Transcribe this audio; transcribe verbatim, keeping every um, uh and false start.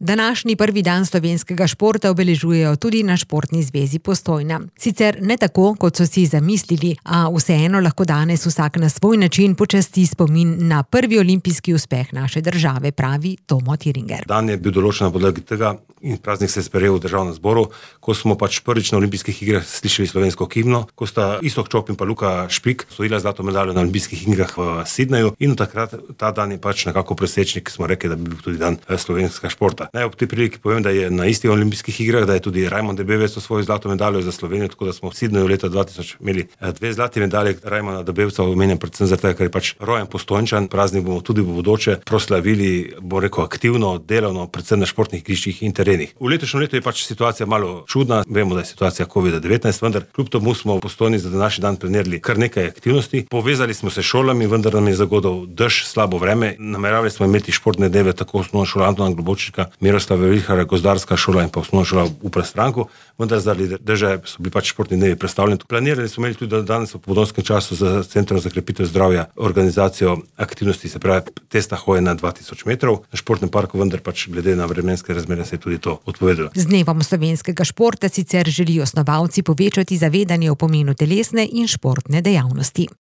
Današnji prvi dan slovenskega športa obeležujejo tudi na Športni zvezi Postojna. Sicer ne tako, kot so si zamislili, a vseeno lahko danes vsak na svoj način počasti spomin na prvi olimpijski uspeh naše države, pravi Tomo Tiringer. Dan je bil določen na podlagi tega in praznik se je sprejel v državnem zboru, ko smo pač prvič na olimpijskih igrah slišali slovensko himno, ko sta Iztok Čop in pa Luka Špik osvojila zlato medaljo na olimpijskih igrah v Sydneyju in takrat ta dan je pač nekako presečnik, smo rekli, da bi bil tudi dan slovenskega športa. Naj ob tej priliki povem, da je na istih olimpijskih igrah, da je tudi Rajmond Debevec osvojil zlato medaljo za Slovenijo, tako da smo v Sydneyju leta dva tisoč imeli dve zlati medalji. Rajmonda Debevca omenjam predvsem zato, ker je pač rojen Postojnčan. Praznik bomo tudi v bodoče proslavili, bo rekel, aktivno, delovno, predvsem na športnih igriščih in terenih. V letošnjem letu je pač situacija malo čudna. Vemo, da je situacija covid devetnajst, vendar kljub temu smo v Postojni za današnji dan planirali kar nekaj aktivnosti. Povezali smo se s šolami, vendar nam je zagodil dež, slabo vreme. Nameravali smo imeti športne dneve tako osnovna šola Antona Globočnika, Miroslava Vilharja, gozdarska šola in pa osnovna šola v Prestranku, vendar zaradi dežja so bili pač športni dnevi prestavljeni. Planirali smo imeli tudi danes v popoldanskem času z Centrom za krepitev zdravja organizacijo aktivnosti, se pravi testa hoje na dva tisoč metrov na športnem parku, vendar pač glede na vremenske razmere se je tudi to odpovedalo. Z dnevom slovenskega športa sicer želijo snovalci povečati zavedanje o pomenu telesne in športne dejavnosti.